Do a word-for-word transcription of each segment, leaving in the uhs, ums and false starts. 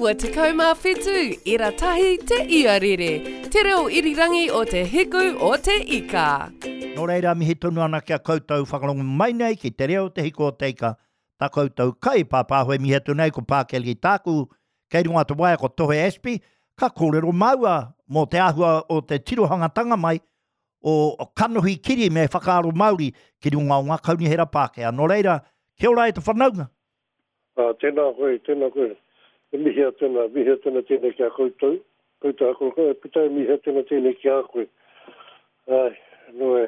iwa tekau mā whitu, ira tahi te iarere, te reo irirangi o te hiku o te ika. Nō reira, mihi tonu ana ki a koutou whakarongo mai nei ki te reo te hiku o te ika, tā koutou kai pāpāho e mihi atu nei ko Pākeli tāku, kei runga te waea ko Tohe Ashby, ka kōrero māua mō te āhua o te tirohangatanga mai o kanohi kiri me whakaaro Māori ki runga o ngā kaunihera Pākehā. Nō reira, kia ora e te whanaunga. Ah, tēnā koe, tēnā koe. E mihi atu ana, mihi atu ana tēnei ki a koutou. Koutou a koutou, e puta e mihi atu ana tēnei ki a koe. Ai, nō e.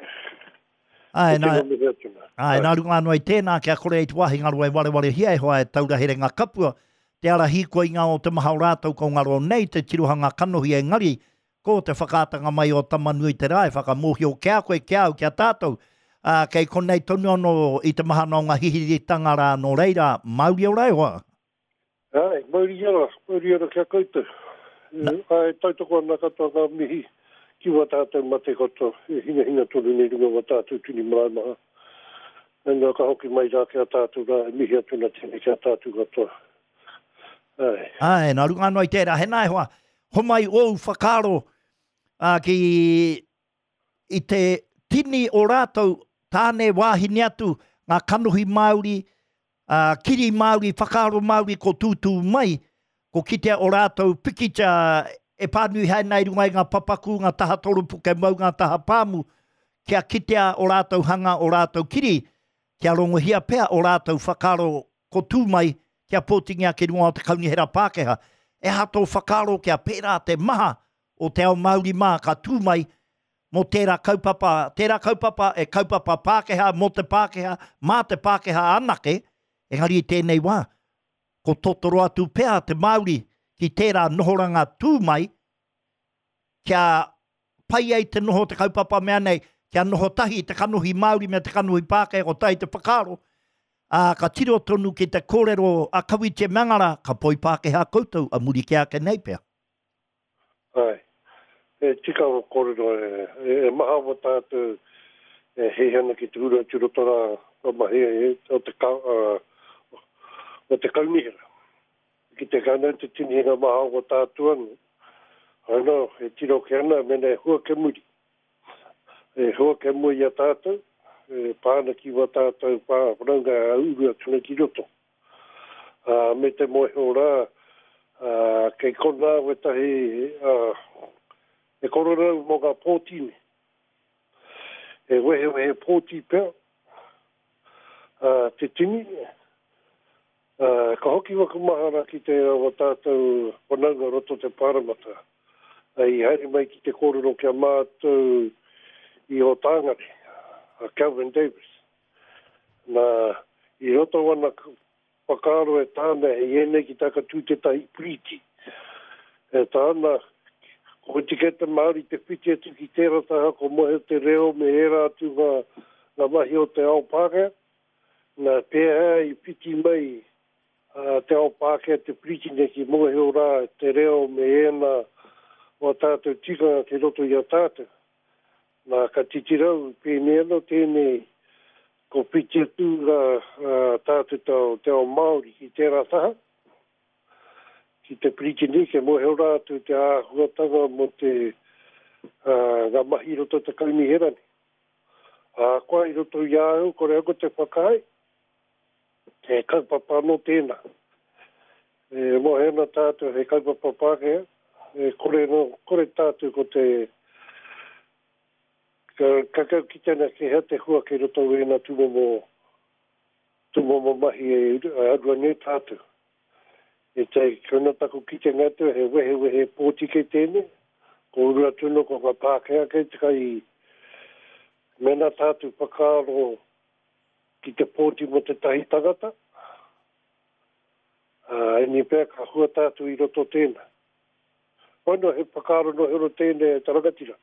Ai, E nā, tino mihi atu ana. ai, nā runga anō i tēnā, kia kore i te wāhi ngaro e warewarehia e hoa e taura herenga kapua, te ara hīkoinga o te maha o rātou ko ngaro nei te tirohanga kanohi engari, ko te whakaatanga mai o Tamanui te rā e whakamōhio ki a koe, ki a au, ki a tātou. Ā, kei konei tonu anō i te mahana o ngā hihiritanga rā nō reira, mauri ora e hoa. Ai, mauri ora, mauri ora ki a koutou. Na. Ai, tautoko ana katoa ngā mihi ki wā tātou mate katoa, e hingahinga tonu nei runga wā tātou tini marae maha. Nā, ka hoki mai rā ki a tātou rā, e mihi atu ana tēnei ki a tātou katoa. Ai. Ai, nā runga anō i tērā, hena e hoa, homai ōu whakaaro, ā, ki i te tini o rātou, tāne wāhine atu, ngā kanohi Māori, ā, kiri Māori, whakaaro Māori ko tūtū mai, ko kitea o rātou pikitia e pānui haere nei runga i ngā papaku, ngā taha toropuke mau, ngā taha pāmu, kia kitea o rātou hanga, o rātou kiri, kia rongohia pea o rātou whakaaro ko tū mai, kia pōtingia ki runga o te kaunihera Pākehā. E aha tō whakaaro kia pērā te maha o te ao Māori mā ka tū mai mō tērā kaupapa, tērā kaupapa e kaupapa Pākehā, mō te Pākehā, mā te Pākehā anake, engari i tēnei wā, ko totoro atu pea te Māori ki tērā nohoranga tū mai, kia pai ai te noho te kaupapa mea nei, kia noho tahi te kanohi Māori me te kanohi Pākehā, ko tahi te whakaaro, ā, ka tiro tonu ki te kōrero a Kawiti Mangara, ka poi Pākehā koutou a muri ki ake nei pea. Ai, e tika o kōrero, e, e, e maha o tātou e heihi ana ki te ura atu roto rā o mahi e, o te, ka, uh, o te kaunihera. Ki te kānau te tini ngā maha o tātou anu. Ano, e tiro ke ana, mena e hua ke muri. E hua ke mua i a tātou, e pāna ki wā tātou pā whanaunga a uru atu nei ki roto. Uh, me te moeho rā, uh, kei konā wetahi, uh, e kororau mō ngā pōti nei. E wehewehe pōti pea, uh, te tini. Uh, ka hoki waku mahara ki te wa tātou whanaunga roto te pāramata. I haere mai ki te kōrero kia mātou i o tāngare, a Kelvin Davis. Nā, i roto wana whakaaro e tāna e ēnei ki taka tū tētahi piriti. E tāna, ko te kete Māori te whiti atu ki tērā taha, ko mohe te reo me ērā atu ngā, ngā mahi o te ao Pākehā. Nā, pēhea i whiti mai uh, te ao Pākehā te piriti nei ki mohe o rā te reo me ēnā o tātou tikanga ki roto i a tātou. Nā, ka titirau, pēnei anō tēnei, ko whiti atu ngā uh, tātou tau, te ao Māori ki tērā taha, ki te piriti nei, ke mohe o rā atu te āhuatanga mō te uh, ngā mahi i roto te kaunihera nei. Ā, koa i roto i a au, kore au ko te whakaae, he kaupapa anō tēnā. E mohe ana tātou he kaupapa Pākehā, e kore, no, kore tātou ko te ka, ka kau ki tēnā ke hea te hua kei roto i ēnā tūmomo, tūmomo mahi e, e arua nei tātou. E te kona taku kitenga atu, he wehewehe pōti kei tēnei, ko uru atu no ko ngā Pākehā kei te kai mena tātou whakaaro ki te pōti mo te tahi tangata, uh, eni pea ka hua tātou i roto tēnā. Ono he whakaaro no hero tēnei e te rangatira.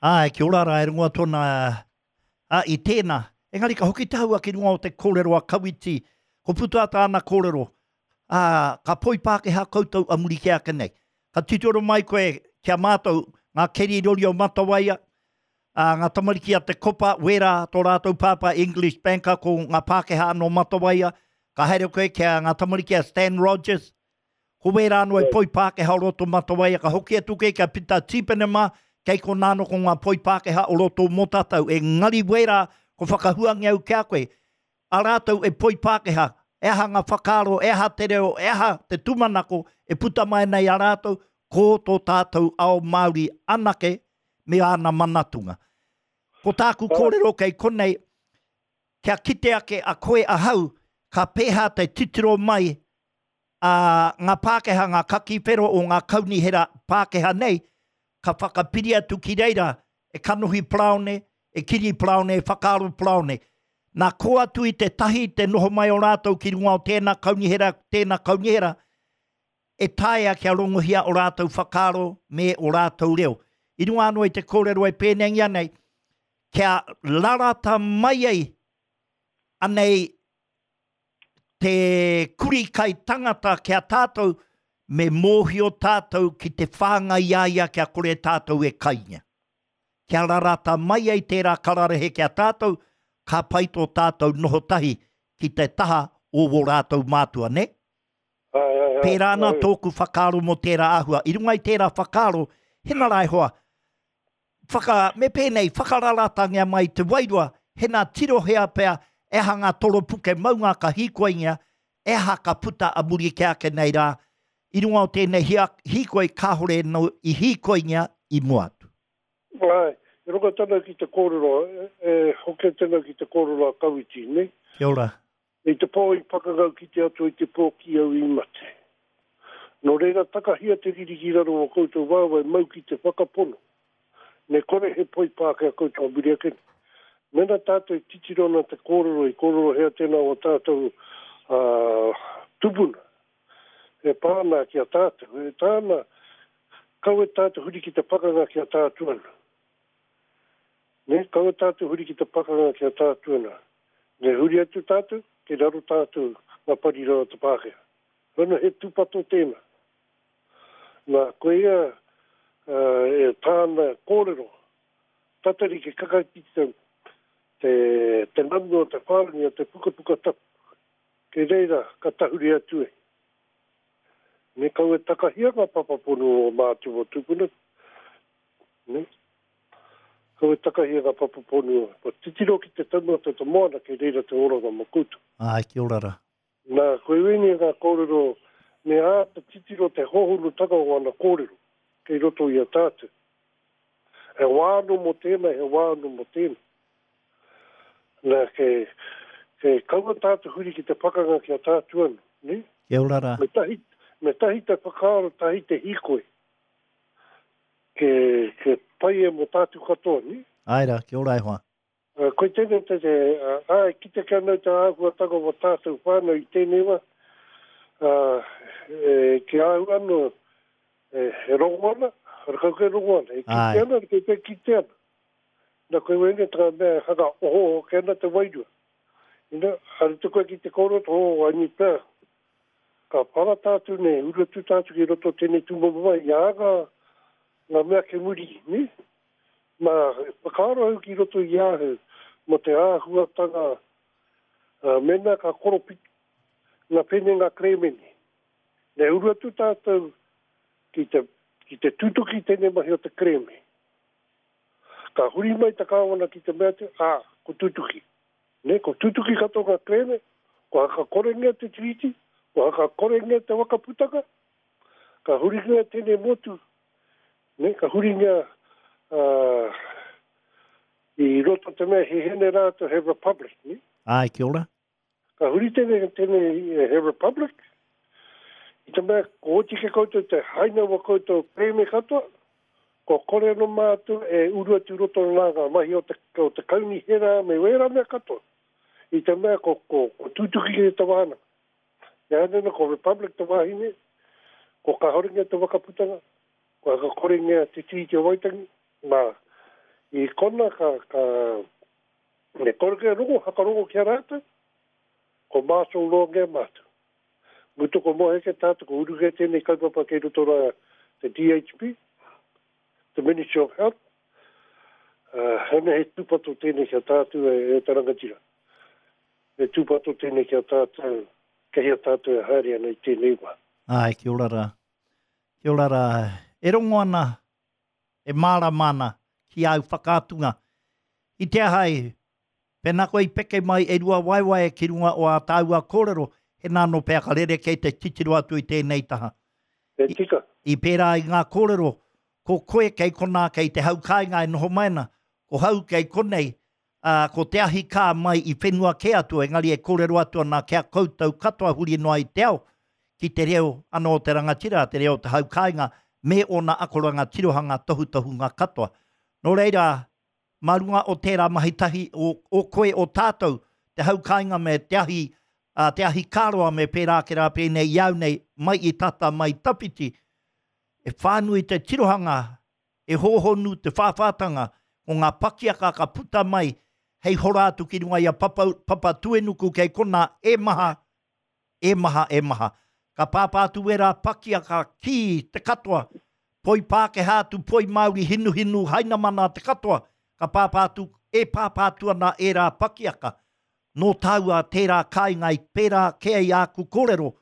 Ai, kia ora rā, e runga tōna, a, i tēnā. Engari ka hoki tāua ki runga o te kōrero a Kawiti, ko puta tāna kōrero, a, ka poi Pākehā koutou a muri ki ake nei. Ka titiro mai koe ki a mātou, ngā keri rori o Matawaia, a, ngā tamariki a te Kopa, wērā tō rātou pāpā English Banker ko ngā Pākehā no Matawaia, ka haere koe ki a ngā tamariki a Stan Rogers, Ko wērā anō e poi Pākehā o roto Matawaia, ka hoki atu kei kia Pita Tīpene mā, kei konā anō ko ngā poi Pākehā o roto mō tātou. Engari wērā, ko whakahuangi au ki a koe, a rātou e poi Pākehā, e aha ngā whakaaro, e aha te reo, e aha te tūmanako e puta mai nei a rātou, ko tō tātou ao Māori anake me āna manatunga. Ko tāku kōrero kei konei, kia kite ake a koe ahau, ka pēhā te titiro mai a ngā Pākehā, ngā kakiwhero o ngā kaunihera Pākehā nei, ka whakapiri atu ki reira e kanohi paraone, e kiri paraone, e whakaaro paraone. Nā kō atu i te tahi te noho mai o rātou ki runga o tēnā kaunihera, tēnā kaunihera, e taea kia rongohia o rātou whakaaro me o rātou reo. I runga anō i te kōrero e pēnengia nei, kia rarata mai ai anei te kuri kai tangata kia tātou, me mōhio tātou ki te whāngai a ia kia kore tātou e kainga. Kia rarata mai ai tērā kararehe kia tātou, ka pai tō tātou noho tahi ki te taha o wō rātou mātua, ne? Ai, ai, ai, Pērā ana ai. tōku whakaaro mō tērā āhua. I runga i tērā whakaaro, hena rā e hoa, whaka, me pēnei, whakararatangia mai te wairua, hena tirohea pea, e aha ngā toropuke maunga ka hīkoingia, e aha ka puta a muri ke ake nei rā, i runga o tēnei hia, hīkoi kāhore no i hīkoingia i mua atu. Ai, e roka tana ki te kōrero, e, e hoke tana ki te kōrero a Kawiti, ne? Kia ora. I te pō i pakangau ki te atu i te pō ki au i mate. Nō reira takahia te riri ki raro o koutou wāwai mau ki te whakapono. Me kore he poi Pākehā koutou a muri ake. Mena tātou titiro na te kōrero i kōrero hea tēnā o tātou uh, tupuna. E pāna ki a tātou. E tāna, kawe tātou huri ki te pakanga ki a tātou ana. Ne, kawe tātou huri ki te pakanga ki a tātou ana. Ne huri atu tātou, ke raro tātou ngā parira o te Pākehā. Rana he tūpato tēnā. Nā, koe ia uh, e tāna kōrero, tatari ke kakaki te, te, te nanu o te whārangi o te pukapuka tapu. Ke reira, ka tahuri atu e. Ne kawe takahia ngā papapono o mātu o tupuna. Ne? Kawe takahia ngā papapono. O titiro ki te taumata te moana ke reira te oranga mō koutou. Ai, kia ora rā. Nā, koe wini ngā kōrero, me āta titiro te hohonutanga o ana kōrero, kei roto i a tātou. He wāno mō tēnā, he wāno mō tēnā. Nā, ke, ke kaua tātou huri ki te pakanga ki a tātou anu, ne? Kia ora rā. Me tahi, me tahi te whakaaro, tahi te hīkoi. Ke, ke pai e mō tātou katoa, ne? Ai rā, kia ora e hoa. Uh, koe tēnei te te, uh, ai, ki te kia nau te āhuatanga o tātou whānau i tēnei wā, uh, e, ki au anō, e, e rongo ana, rakau ke rongo ana, e kite Ai. ana, ke te kite ana. Nā koe wene tā mea haka oho oho ke ana te wairua. Ina, hari te koe ki te kōrero, oh, ai pea. Ka para tātou nei, uru atu tātou ki roto tēnei tūmomo mai, i a ngā, ngā mea ke muri, ne? Nā, whakaaro au ki roto i ahau, mō te āhuatanga, uh, mena ka koropiki, ngā pene ngā kremene. Ne uru atu tātou ki te, ki te tutuki tēnei mahi o te kreme. Ka huri mai te kāwana ki te mea atu, ā, ko tutuki. Ne, ko tutuki katoa ngā kreme, ko hakakorengia te tiriti, ko hakakorengia te wakaputaka, ka huringia tēnei motu, ne, ka huringia uh, i roto te mea he hene rātou he republic, ne? Ai, kia ora. Ka huri tēnei, tēnei he republic, i te mea ko oti ke koutou te haina wa koutou kreme katoa, ko kore no mātou e uru atu roto nā ngā mahi o te, o te kaunihera me wera mea katoa. I te mea ko, ko, ko tutuki ke te wānanga. Ia anena ko Republic te wāhine, ko kahorengia te wakaputanga, ko hakakorengia te Tiriti o Waitangi, nā, i kona ka, ka me kore ke rongo, hakarongo ki a rātou, ko mātou loa ngea mātou. Mutu ko mohe ke tātou, ko uru ke tēnei kaupapa kei roto rā te D H B, the Ministry of Health, uh, hene he tūpato tēnei kia tātou e, e te rangatira. He tūpato tēnei kia tātou, kei a tātou e haere ana i tēnei wā. Ai, kia ora rā. Kia ora rā. E rongo ana, e mārama ana ki āu whakaatunga. I te aha e, pēnā koe i peke mai e rua waewae ki runga o ā tāua kōrero, he nā nō pea ka rerekē te titiro atu i tēnei taha. E tika. I, i pērā i ngā kōrero, ko koe kei konā, kei te hau kāinga e noho mai ana, ko hau kei konei, ā, ko te ahi kā mai i whenua kē atu, engari e kōrero atu ana ki a koutou katoa huri noa i te ao, ki te reo anō o te rangatira, te reo o te hau kāinga, me ōna akoranga tirohanga tohutohunga katoa. Nō reira, mā runga o tērā mahi tahi o, o koe o tātou, te hau kāinga me te ahi, ā, te ahi kāroa me pērā ake rā pēnei i au nei, mai i tata, mai i tawhiti, e whānui te tirohanga, e hōhonu te whāwhātanga, ko ngā pakiaka ka puta mai hei hora atu ki runga i a Papa, Papatuenuku kei konā, e maha, e maha, e maha. Ka pāpā atu wērā pakiaka ki te katoa, poi Pākehā atu, poi Māori, hinuhinu, hainamana te katoa, ka pāpā atu, e pāpā atu ana ērā pakiaka. Nō tāua tērā kāinga i pērā kē ai āku kōrero,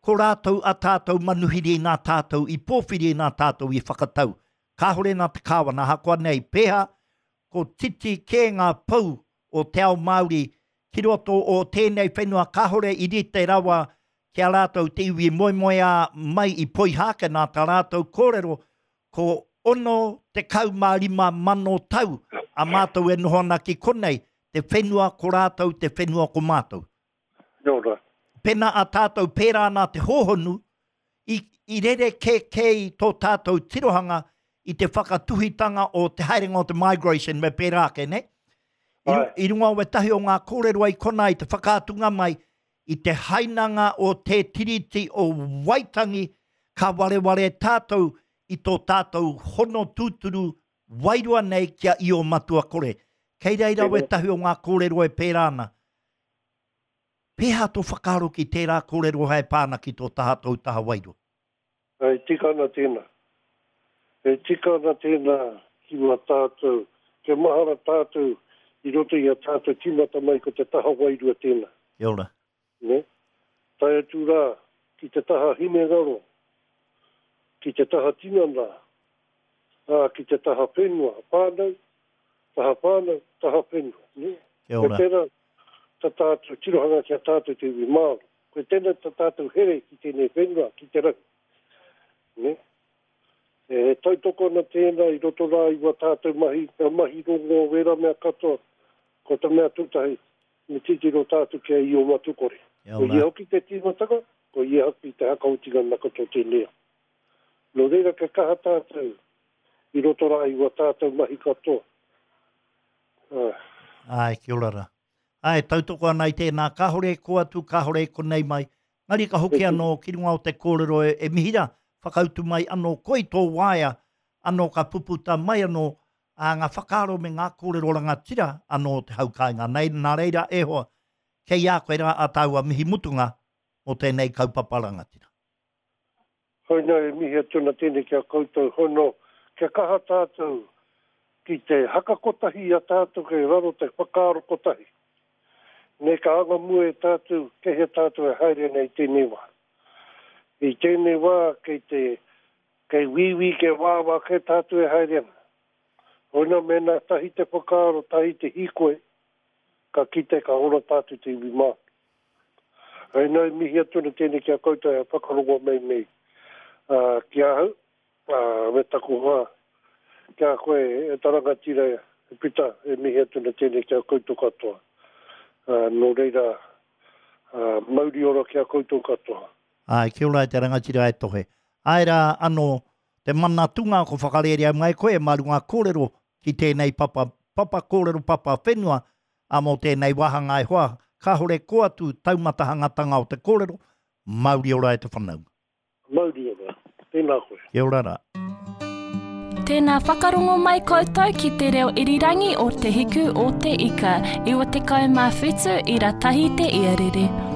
ko rātou a tātou manuhiri nā tātou i pōwhiri nā tātou i whakatau. Kāhore nā te kāwana, ahakoa nei pēhā, ko titi kē ngā pou o te ao Māori ki roto o tēnei whenua kāhore i rite rawa ki a rātou te iwi moemoeā mai i Poihākena tā rātou kōrero ko ono tekau mā rima mano tau a mātou e noho ana ki konei, te whenua ko rātou, te whenua ko mātou. Nō rā. Pēnā a tātou pērā ana te hōhonu, i, i rere kē kē i tō tātou tirohanga i te whakatuhitanga o te haerenga o te migration me pērā ake, ne? I, I runga o wetahi o ngā kōrero ai konā i te whakaatunga mai i te hainanga o te Tiriti o Waitangi ka wareware tātou i tō tātou hono tūturu wairua nei ki a Io Matua Kore. Kei reira wetahi o ngā kōrero e pērā ana. Pēhea tō whakaaro ki tērā kōrero hei pā ana ki tō taha tōu taha wairua? E tika ana tēnā. E tika ana tēnā ki wā tātou, kia mahara tātou i roto i a tātou tīmata mai ko te taha wairua tēnā. Kia ora. Nē? Tae atu rā ki te taha hinengaro, ki te taha tinana, ā, ki te taha whenua, whānau, taha whānau, taha whenua. Nē? Kia ora. Ko tērā tā tātou tirohanga ki a tātou te iwi Māori. Ko tēnā tā tātou here ki tēnei whenua, ki te rangi. Nē? E tautoko ana tēnā i roto rā i wā tātou mahi, ngā mahi rongo, wērā mea katoa, ko te mea tūtahi, me titiro tātou ki a Io Matukore. Ko ia hoki te tīmatanga, ko ia hoki te hakaotinga na katoa tēnei. Nō reira kia kaha tātou i roto rā i wā tātou mahi katoa. Āe. Āe, kia ora rā. Āe, tautoko ana i tēnā, kāore e kō atu, kāore e konei mai. Engari ka hoki anō ki runga o te kōrero e, e mihi rā, whakautu mai anō koe i tō waea, anō ka puputa mai anō ā, ngā whakaaro me ngā kōrero rangatira anō o te hau kāinga. Nei, nā reira e hoa, kei a koe rā ā tāua mihi mutunga mō tēnei kaupapa rangatira. Hoina e mihi atu ana tēnei ki a koutou hono, kia kaha tātou ki te haka kotahi i a tātou kei raro te whakaaro kotahi. Nei ka anga mua e tātou, kei hea tātou e haere ana i tēnei wā. I tēnei wā kei te, kei wīwī, kei wāwā kē tātou e haere ana. Hoina mēnā tahi te whakaaro, tahi te hīkoi, ka kite ka ora tātou te iwi Māori. Hoina e mihi atu ana tēnei ki a koutou e whakarongo mai nei uh, ki ahau, uh, me taku hoa, ki a koe e ta rangatira e Pita, e mihi atu ana tēnei ki a koutou katoa. Uh, nō reira, uh, mauri ora ki a koutou katoa. Āe, kia ora e te rangatira e tohe. Āe rā anō, te mana tunga ko whakarērea mai koe mā runga kōrero ki tēnei papa, papa kōrero papa whenua, ā mō tēnei wāhanga e hoa, kāhore kō atu taumatahangatanga o te kōrero, mauri ora e te whanaunga. Mauri ora. Tēnā koe. Kia ora rā. Tēnā whakarongo mai koutou ki te reo irirangi o Te Hiku o Te Ika, iwa tekau mā whitu ira tahi te iarere.